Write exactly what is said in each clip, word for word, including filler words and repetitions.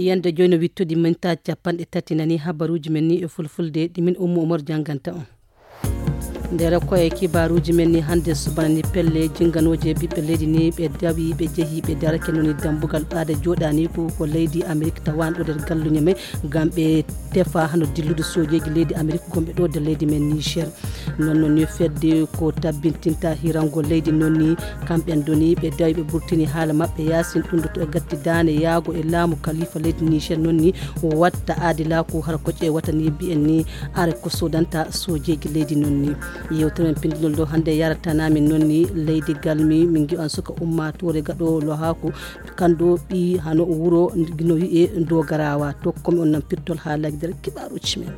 Yande joyno wittudi minta capanɗe tati nani habaruuji men ni e fulfulde ɗi min Ummu Umar jannganta on. Nder koye kibaaruuji men ni hannde subana ni pelle jinnganooje ɓiɓɓe leydi ni ɓe dawi ɓe jehi ɓe darake noni dambugal ɓaade jooɗaani ko ko leydi Amerik tawanɗo nder galluñe men ngam ɓe tefa hano dillude soojeeji leydi Amerik gonɓe ɗo nder leydi men Niger. Non non ni fedde ko tabbintinta hirango leydi non ni kamɓen doni ɓe dawi ɓe burtini haala maɓɓe yaasin ɗum ɗo to e gatti daane yaago e laamu kalifa leydi Niger non ni watta aadilaaku hara ko ƴeewata ni mbiyen ni are ko sodanta soojeeji leydi non ni. Yewtere men pindinol ɗo hannde yaratanamin non ni leydi galmi min ngiwan suka ummatore gaɗo lohaaku kando ɓi hano wuro no wi'e dogarawa tokkomi on nan pirtol haalaji nder kibaruuji men.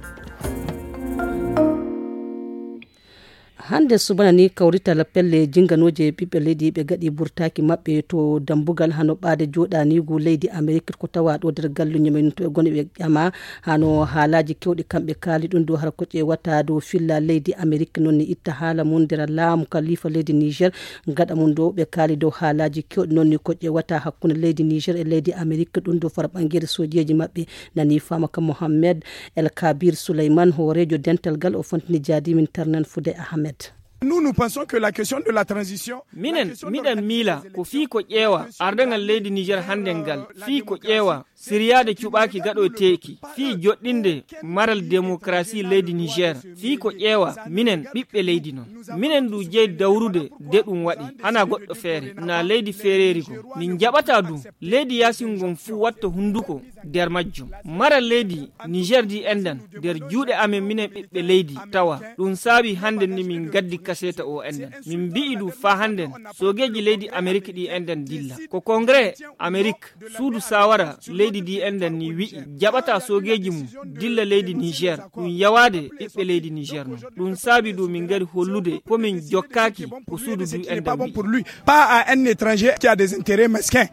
Hannde subana ni kawrital pelle jinganooje ɓiɓɓe leydi ɓe gaɗi burtaaki maɓɓe to dambugal hano ɓaade jooɗaaniigu leydi Amerik ko tawaa ɗo nder galluñe men to e gone ɓe ƴama hano haalaaji kewɗi kamɓe kaali ɗum dow hara ko ƴeewata dow filla leydi Amerik noon ni itta haala mum nder laamu kalifa leydi Niger gaɗa mum dow ɓe kaali dow haalaaji kewɗi noon ni ko ƴeewata hakkunde leydi Niger e leydi Amerik ɗum dow fara ɓangeere sojeeji maɓɓe nani faama ka Mohammed El Kabir Suleyman hooreejo dental gal o fontini jaadimin tarnan fude Ahmed. Nous, nous pensons que la question de la transition minen miɗen miila ko fii ko ƴeewa ardagal leydi Niger hannde ngal fii ko ƴeewa siriyaade cuɓaaki gaɗoyteeki fii joɗɗinde maral démocratie leydi Niger fii ko ƴeewa minen ɓiɓɓe leydi non minen ndu jeyi dawrude de ɗum waɗi hana goɗɗo feere na leydi feereeri goo min jaɓata du leydi yaasin ngon fuu watta hunnduko nder majjum mara leydi Niger di enɗan nder juuɗe amen minen ɓiɓɓe leydi tawa ɗum saabi hannden ni min gaddi kaseeta o enɗan min mbi'i du faa hannden soogeeji leydi Amerik ɗi enɗan dilla ko kongre Amerik suudu saawara leydi di enɗan ni wi'i jaɓata soogeeji mum dilla leydi Niger ɗum yawaade ɓiɓɓe leydi Niger non ɗum saabi du min ngari hollude ko min jokkaaki ko suudu du enɗan wi'i. Pas à un étranger qui a des intérêts mesquins.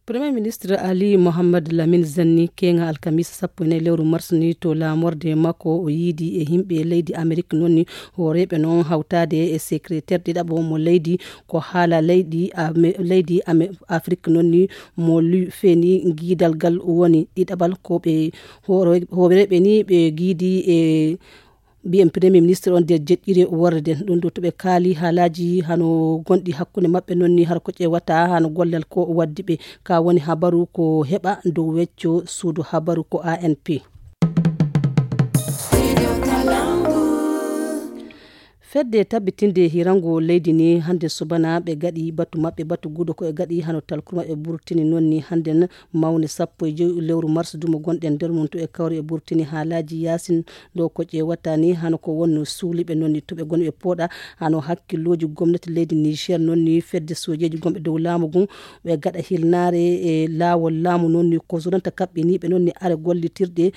Premier ministre Ali Mohamed Lamine Zanni keŋa alkamisa sappo e nayi lewru mars ni to laamorde makko o yiidi e yimɓe leydi Amerik noon ni hooreeɓe noon hawtaade e secrétaire ɗiɗaɓo mo leydi ko haala leydi Ame- leydi Ame- Afrik noon ni mo lu- feeni giidal gal woni ɗiɗaɓal ko ɓe hoore- hooreeɓe ni ɓe giidi e mbiyen premier ministre on nder jeɗɗire worre nden ɗum ɗo to ɓe kaali haalaaji hano gonɗi hakkunde maɓɓe noon ni har ko ƴeewata hano gollal ko waddi ɓe ka woni habaru ko heɓa dow wecco suudu habaru ko A N P. Fedde tabbitinde hirango leydi ni hannde subana ɓe gaɗi batu maɓɓe batu gudo ko e gaɗi hano talkuru maɓɓe burtini noon ni hannden mawne sappo e joyi lewru mars dumo gonɗen nder mum to e kawri e burtini haalaaji yaasin ɗo ko ƴeewata ni hano ko wonno suuliɓe noon ni to ɓe goni ɓe pooɗa hano hakkillooji gomnati leydi Niger noon ni fedde sojeeji gonɓe dow laamu ngun ɓe gaɗa hilnaare e laawol laamu noon ni ko sonanta kaɓɓiniiɓe noon ni are gollitirɗe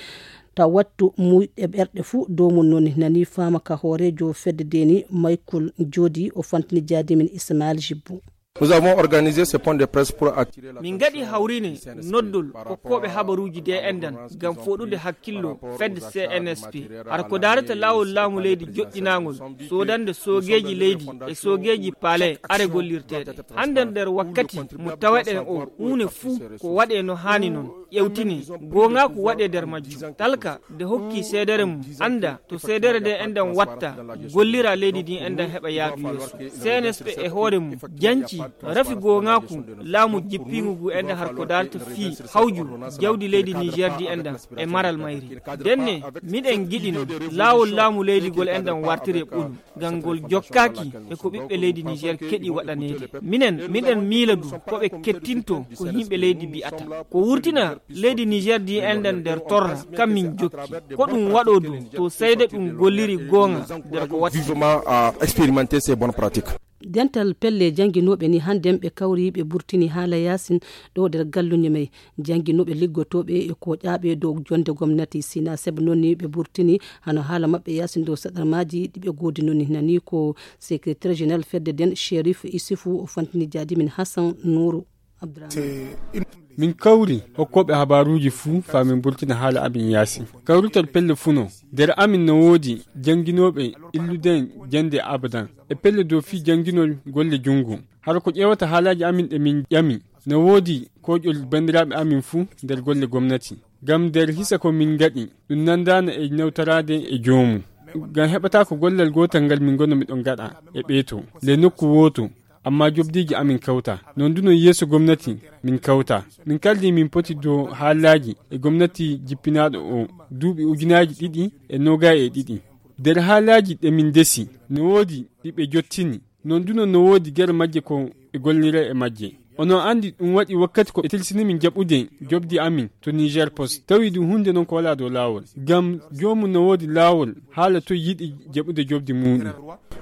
taw wattu muyɗe ɓerɗe fuu dow mum noon ni nani faama ka hooreejo fedde de ni Michael Jodi o fantini jaadimin Ismail Jibbo. Nous avons organisé ce point de presse pour attirer la Min ngaɗi hawrine noddol kokkooɓe habaruuji de enɗan ngam foɗude hakkillo fedde C N S P hara ko daarata laawol laamu leydi joɗɗinaangol soodande soogeeji leydi e soogeeji palais are gollirteeɗe hannden nder wakkati mo taweɗen o huune fuu ko waɗe no haani noon ƴewtini goongaaku waɗe nder majjum talka nde hokki seedere mum annda to seedere nde enɗan watta gollira leydi ndin enɗan heɓa yaadu yeeso C N S P e hoore mum janci rafi goongaaku laamu jippiingu ngu enɗan har ko darta fii hawju jawdi leydi Niger di enɗan e maral mayri ndenne miɗen giɗi noon laawol laamu leydi ngol enɗan wartire ɓolu ngal ngol jokkaaki e ko ɓiɓɓe leydi Niger keɗi waɗaneede minen miɗen miila du ko ɓe kettinto ko yimɓe leydi mbi'ata ko wurtina leydi Niger di enɗan nder torra kam min jokki ko ɗum waɗo du to seede ɗum golliri goonga nder ko waɗi vivement à expérimenter ces bonnes pratiques. Dental pelle jannginooɓe ni hannden ɓe kawri ɓe burtini haala yaasin ɗo nder galluñe may jannginooɓe liggotooɓe e koƴaaɓe dow jonnde gomnati sina seb noon ni ɓe burtini hano haala maɓɓe yaasin dow saɗarmaaji ɗi ɓe goodi noon ni nani ko secrétaire général fedde nden Sherif Isufu o fantini jaadimin Hassan Nuuru Abdurahman. Min kawri hokkooɓe habaaruuji fuu faa min mburtina haala amin yaasi. Kawrital pelle fuu no. Nder amin no woodi jannginooɓe illude en jannde abadan e pelle dow fii jannginol golle junngo. Hara ko ƴeewata haalaaji amin ɗe min ƴami. No woodi kooƴol banndiraaɓe amin fuu nder golle gomnati. Ngam nder hisa ko min ngaɗi, ɗum nandaana e nawtoraade e joomum. Ngam heɓataa ko gollal gootal ngal min ngoni miɗon ngaɗa e ɓeeto, le nokku wooto, ammaa jobdiiji amin kawta. Non du non yeeso gomnati min kawta. Min kaldi min poti dow haalaaji e gomnati jippinaaɗo o duuɓi ujunaaji ɗiɗi e noogay e ɗiɗi. Nder haalaaji ɗe min ndesi, no woodi ɗi ɓe jottini. Non du non no woodi gere majje ko ɓe gollira e majje. Onon anndi ɗum waɗi wakkati ko ɓe tilsini min jaɓude jobdi amin to Niger Post. Tawi ɗum huunde non ko walaa dow laawol. Ngam joomum no woodi laawol haala toy yiɗi jaɓude jobdi muuɗum.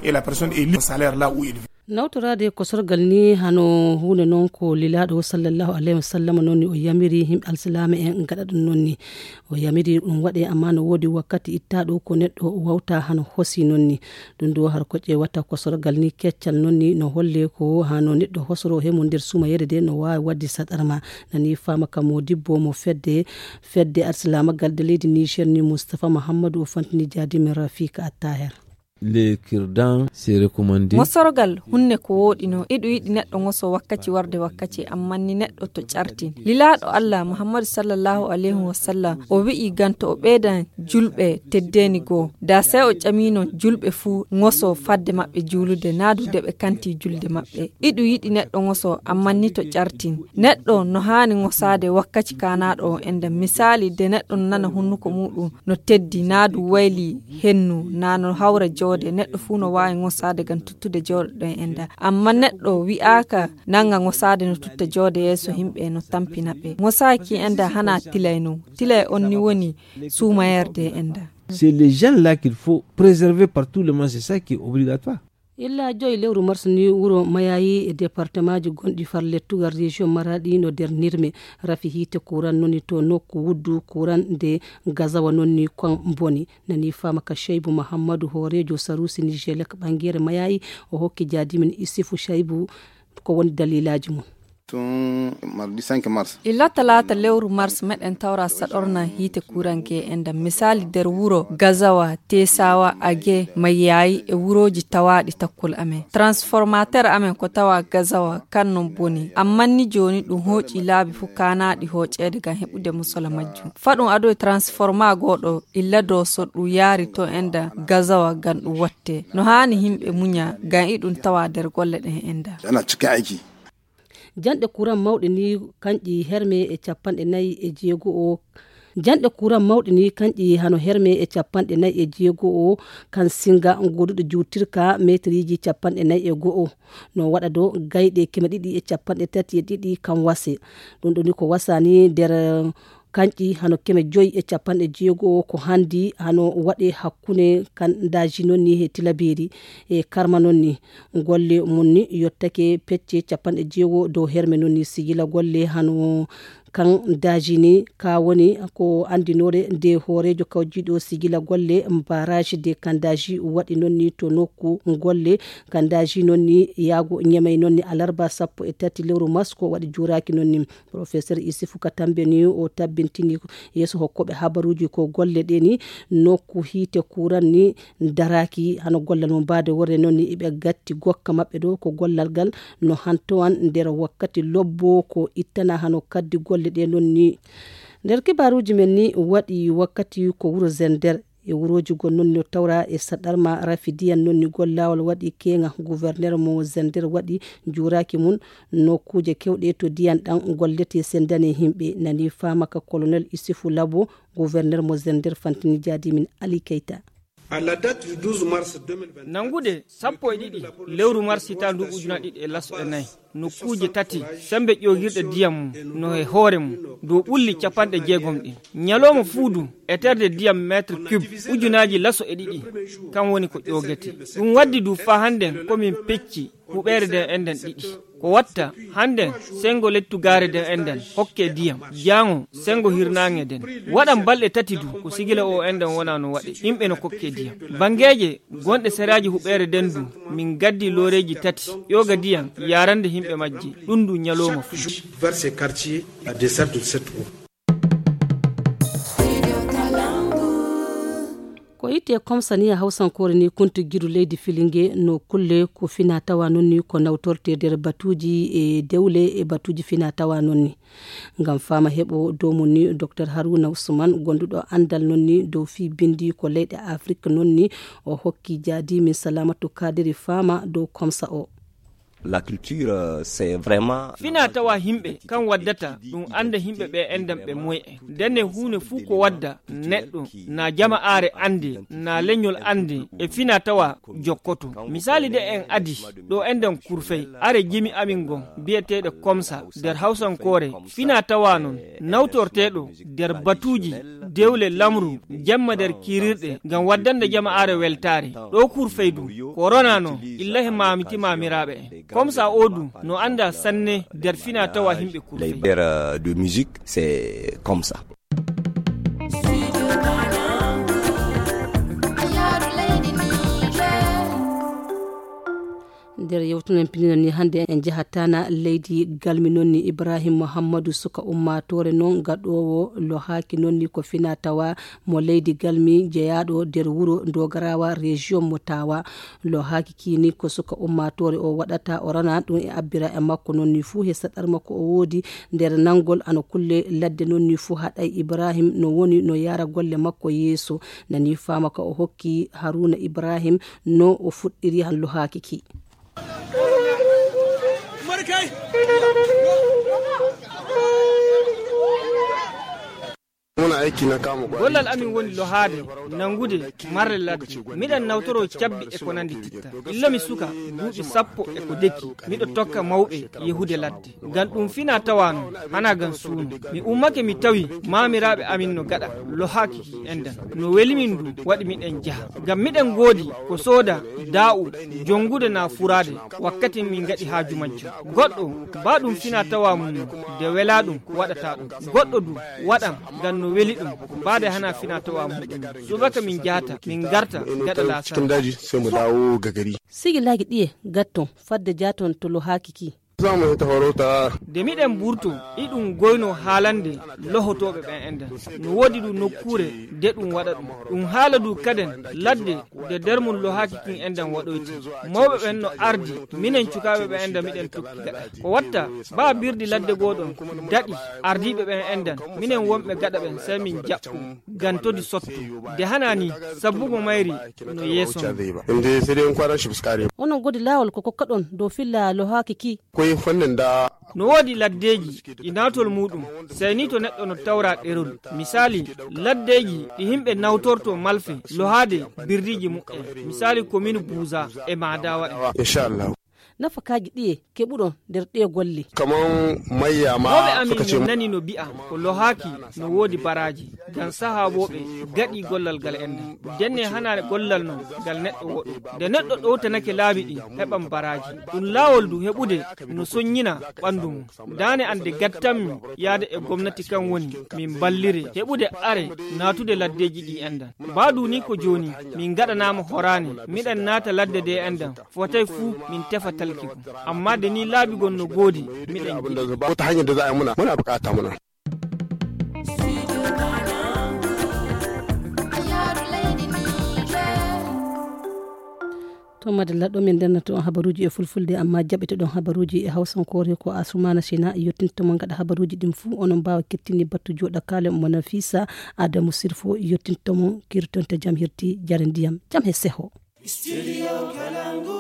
Et la personne est libre salaire là où il vit. Nawtoraade kosorgal ni hano huunde non ko lilaaɗo sallallahu alayhi wa sallam non ni o yamiri yimɓe alsilaama en ngaɗa ɗum non ni. O yamiri ɗum waɗe, amma no woodi wakkati ittaaɗo ko neɗɗo wawta hano hosi non ni. Ɗum ɗo har ko ƴeewata kosorgal ni keccal non ni no holle ko hano neɗɗo hosoro he mum nder suumayeere de no waawi waɗde saɗarma. Nani faama ka modibbo mo fedde, fedde alsilaama gal de leydi Niger ni Mustapha Muhammadu o fantini jaadi min Rafika Attaher. Le kirdan se recommandé. Mosorgal hunne ko wooɗi no, iɗu yiɗi neɗɗo ŋoso wakkaci warde wakkaci, amma ni neɗɗo to ƴartin. Lilaaɗo Allah Muhammadu sallallahu alayhi wa sallam o wi'i ganto o ɓeydan julɓe teddeeni goo. Da sey o ƴamino julɓe fuu ŋoso fadde maɓɓe juulude, naa du de ɓe kanti julde maɓɓe. Iɗu yiɗi neɗɗo ŋoso, amma ni to ƴartin. Neɗɗo no haani ŋosaade wakkaci kaanaaɗo o enda. Misaali, de neɗɗo no nana hunnuko muuɗum no teddi, naa du wayli hennu, naa no hawra joode. Neɗɗo fuu no waawi ŋosaade ngam tuttude joode ɗon enda. Amma neɗɗo wi'aaka nanga ŋosaade no tutta joode yeeso himɓe no tampina ɓe. Ŋosaaki enda hana tilay non. Tilay on ni woni suumayerde enda. C'est les gens là qu'il faut préserver par tout le monde, c'est ça qui est obligatoire. Illa joyi lewru mars ni wuro Mayayi e departemaaji gonɗi far lettugal région Maradi no nder nirme. Rafi hiite kuran noni to nokku wuddu kuran nde gazawa nonni kon boni. Nani fama ka Shaibu Muhammadu, hooreejo Sarusi Nijelek ɓangere Mayayi, o hokki jaadimin Isifu Shaibu ko woni dalilaaji mum. Tun mardi cinq mars. Illa talaata lewru mars meɗen tawra saɗorna hiite kuran ge e ndam. Misaali nder wuro Gazawa, Tesawa, Age, Mayayi e wurooji tawaaɗi takkol amen. Transformateur amen ko tawa Gazawa, kan non boni. Amma ni jooni ɗum hooƴi laabi fuu kaanaaɗi hooƴeede ngam heɓude musola majjum. Faɗum ado e transforma gooɗo illa Dooso ɗum yaari to enda Gazawa ngam ɗum watte. No haani himɓe muña ngam iɗum tawa nder golle ɗen enda. Ana cikin aiki. Janɗe kuran mawɗe ni kanƴi herme e capanɗe nayi e jeego o. Janɗe kuran mawɗe ni kanƴi hano herme e capanɗe nayi e jeego o, kan singa goduɗo juutirka meetiriji capanɗe nayi e go'o. No waɗa do gayɗe keme ɗiɗi e capanɗe tati e ɗiɗi kan wase. Ɗum ɗo ni ko wasani nder kanƴi hano keme joyi e capanɗe jeego ko handi hano waɗe hakkunde kan daji non ni he Tilaberi e Karma non ni. Golle mum ni yottake pecce capanɗe jeego dow herme non ni sigila golle hano kan daji ni ka woni ko andinore nde hoorejo kawjiɗo sigila golle barrage de kan daji waɗi non ni to nokku golle kan daji non ni yaago Ñamey non ni alarba sappo e tati lewru mars ko waɗi juuraki non ni. Professeur Isifu Katambe ni o tabbintini yeeso hokkoɓe habaruji ko golle ɗe ni nokku hiite kuran ni daraaki hano gollal mum baade worre non ni iɓe gatti gokka maɓɓe ɗo ko gollal ngal no hantowan nder wakkati lobbo ko ittana hano kaddi golle ɗe non ni. Nder kibaruji men ni waɗi wakkati ko wuro Zender e wurooji goo non no tawra e saɗarma rafi diyan non ni gollawol waɗi keŋa. Gouverneur mo Zender waɗi juuraki mum nokkuuje kewɗe to diyan ɗan gollete sendane himɓe. Nani fama ka colonel Isifu Labo, gouverneur mo Zender fantini jaadimin Ali Keita. Nangude sappo e ɗiɗi lewru mars hitaande nduuɓu ujunaaji ɗiɗi e laso e nayi, nokkuuje tati sembe ƴoogirɗe diyam mum no e hoore mum dow ɓulli capanɗe jeegom ɗin. Ñalooma fuudu eterde diyam meetre cube ujunaaji laso e ɗiɗi, kan woni ko ƴoogete. Ɗum waddi du faa hannden ko min pecci huɓeere nden enɗen ɗiɗi. Ko watta hannden senngo lettugaare nden enɗen hokke diyam, jaango senngo hirnaange nden. Waɗan balɗe tati du ko sigila o enɗen wona no waɗe, yimɓe no kokke diyam. Banngeeje gonɗe seraaji huɓeere nden du, min gaddi looreeji tati ƴooga diyam yaarande yimɓe majje, ɗum du ñalooma fuu. Vers ces quartiers à desserte de cette eau. Itte komsa ni a hawsankoore ni kuntu gidu leydi Filinge no kulle ko fina tawa noon ni ko nawtorte nder batuuji e dewle e batuuji fina tawa noon ni. Ngam faama heɓo dow mum ni Docteur Haruna Usman gonduɗo anndal noon ni dow fii binndi ko leyɗe Afrik noon ni o hokki jaadi min Salamatu Kadiri faama dow komsa o. La culture, euh, c'est vraiment fina tawa himɓe kan waddata ɗum annda himɓe ɓe enɗan ɓe moye. Ndenne huune fuu ko wadda neɗɗo na jama aare annde na leñol annde e fina tawa jokkoto. Misali de en adi ɗo enɗan kurfey are jimi amin ngon biyeteeɗe komsa nder hawsankoore fina tawa noon nawtorteeɗo nder batuuji dewle lamru jemma nder kirirɗe ngam waddande jama aare weltaare. Ɗo kurfey du korona noon illa he maamiti maamiraaɓe en. Komsa o du no annda sanne nder fina tawa himɓe kurfey. Les vers, euh, de musique, c'est comme ça. Nder yewtunen pinino ni hannde en jahatana leydi galmi noon ni Ibrahim Muhammadu suka ummatore noon gaɗowo lo haaki noon ni ko fina tawa mo leydi galmi jeyaaɗo nder wuro Dogarawa région mo Tawa. Lo haaki kii ni ko suka ummaatoore o waɗata o rana ɗum e abbira e makko noon ni fuu he saɗar makko o woodi nder nanngol ana kulle ladde noon ni fuu haɗay Ibrahim no woni no yaara golle makko yeeso. Nani faama ka o hokki Haruna Ibrahim no o fuɗɗiri han lo haaki kii. Gollal amin woni lohaade, nanngude, marle ladde. Miɗen nawtoroo cabbi e ko nanndi titta. Illo mi suka, duuɓi sappo e ko deki, miɗo tokka mawɓe yehude ladde. Ngam ɗum fina tawa non, hana ngam suuno. Mi ummake mi tawi maamiraaɓe amin no gaɗa, lohaaki enɗan. No weli min du, waɗi miɗen jaha. Ngam miɗen ngoodi ko sooda, daa'u, jonngude na furaade, wakkati min ngaɗi haaju majjum. Goɗɗo, ba ɗum fina tawa mum, de wela ɗum, waɗata ɗum. Goɗɗo du, waɗan, ngam no weli ɗum, baade hana fina tawa muɗum. Subaka min jahata, min ngarta, gaɗa laasara. Cikin daji, sai mu dawo ga gari. Sigi laagi ɗiye, gatton, fadde jaaton to lo haaki ki. Za mu yi ta farauta. De miɗen burto, iɗum goyno haalande, lohotooɓe ɓen enɗan. No woodi du nokkuure, de ɗum waɗa ɗum. Ɗum haala du kaden, ladde, de nder mum lo haaki kin enɗan waɗoyti. Mawɓe ɓen no ardi, minen cukaaɓe ɓen enɗan miɗen tokki gaɗa. Ko watta, ba birdi ladde gooɗon, daɗi, ardiiɓe ɓen enɗan, minen wonɓe gaɗa ɓen, sai min jaɓɓu, gantodi sotto. De hana ni, sabbugo mayri, no yeeso. Inde sai dai in kwaran shi fuskare. Onon godi laawol ko kokka ɗon dow filla lo haaki ki. Koy fannin da. No woodi laddeeji, ɗi naatol muuɗum, sai ni to neɗɗo no tawra ɗerol. Misali, laddeeji ɗi himɓe nawtorto malfe, lohaade birdiiji muɓɓen. Misali, komin Buuza e Maadawa en. Inshallah. Nafakaaji ɗiye keɓuɗon nder ɗee golle? Kaman mayya ma. Mawɓe amin suka ce min mu- nani no bi'a, ko lohaaki no woodi baraaji. Ngam sahaabooɓe gaɗi gollal ngal enɗan. Denne hanaare gollal non ngal neɗɗo woɗo. Nde neɗɗo ɗowtanake laabi ɗin, heɓan baraaji. Ɗum laawol du heɓude no soññina ɓanndu mum. Daane an de gattanmi yaade e gomnati kan woni min ballire heɓude are naatude laddeeji ɗi enɗan. Ba du ni ko jooni min gaɗanaama horaani, miɗen naata ladde de enɗan, fotay fuu min tefa talki gom. Amma de ni laabi gon no goodi, miɗen jiɗi. Wata hanyar da za a yi muna, muna bukata muna. To madalla ɗo min ndennato on habaruuji e fulfulde, amma jaɓete ɗon habaruuji e hawsankoore ko Asumana Sina yottinto mon gaɗa habaruuji ɗin fuu. Onon mbaawa kettini battu jooɗa kaale mo Nafisa Adamu Sirfo yottinto mon kirtonta jam hirti jare ndiyam jam he seho. Studio Kalangu.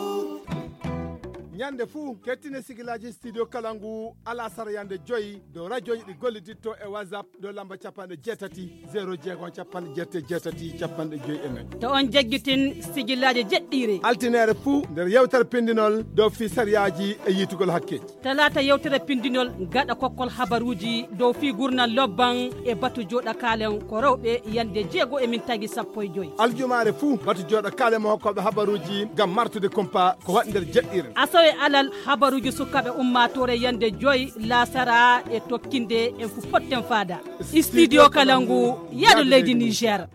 Ñande fuu, kettine sigilaaji Studio Kalangu, alasara yande joyi, dow rajooji ɗi golliditto e WhatsApp, dow lamba capanɗe jeetati, zero jeego, capanɗe jeetati, capanɗe joyi e nayi. To on jaggitin sigilaaji jeɗɗiire. Altineere fuu, nder yewtere pindinol, dow fii sariyaaji e yiitugol hakke. Talaata yewtere pindinol gaɗa kokkol habaruuji dow fii gurnal lobban e batu jooɗa kaalen ko rewɓe yande jeego e min tagi sappo e joy. Aljumaare fuu batu jooɗa kaalen mo hokkooɓe habaruuji ngam martude kumpa ko waɗi nder jeɗɗiire. Asawe alal habaruuji sukaaɓe ummaatoore yande joy laasara e tokkinde en fu potten faada. Studio Kalangu, yaadu leydi Niger.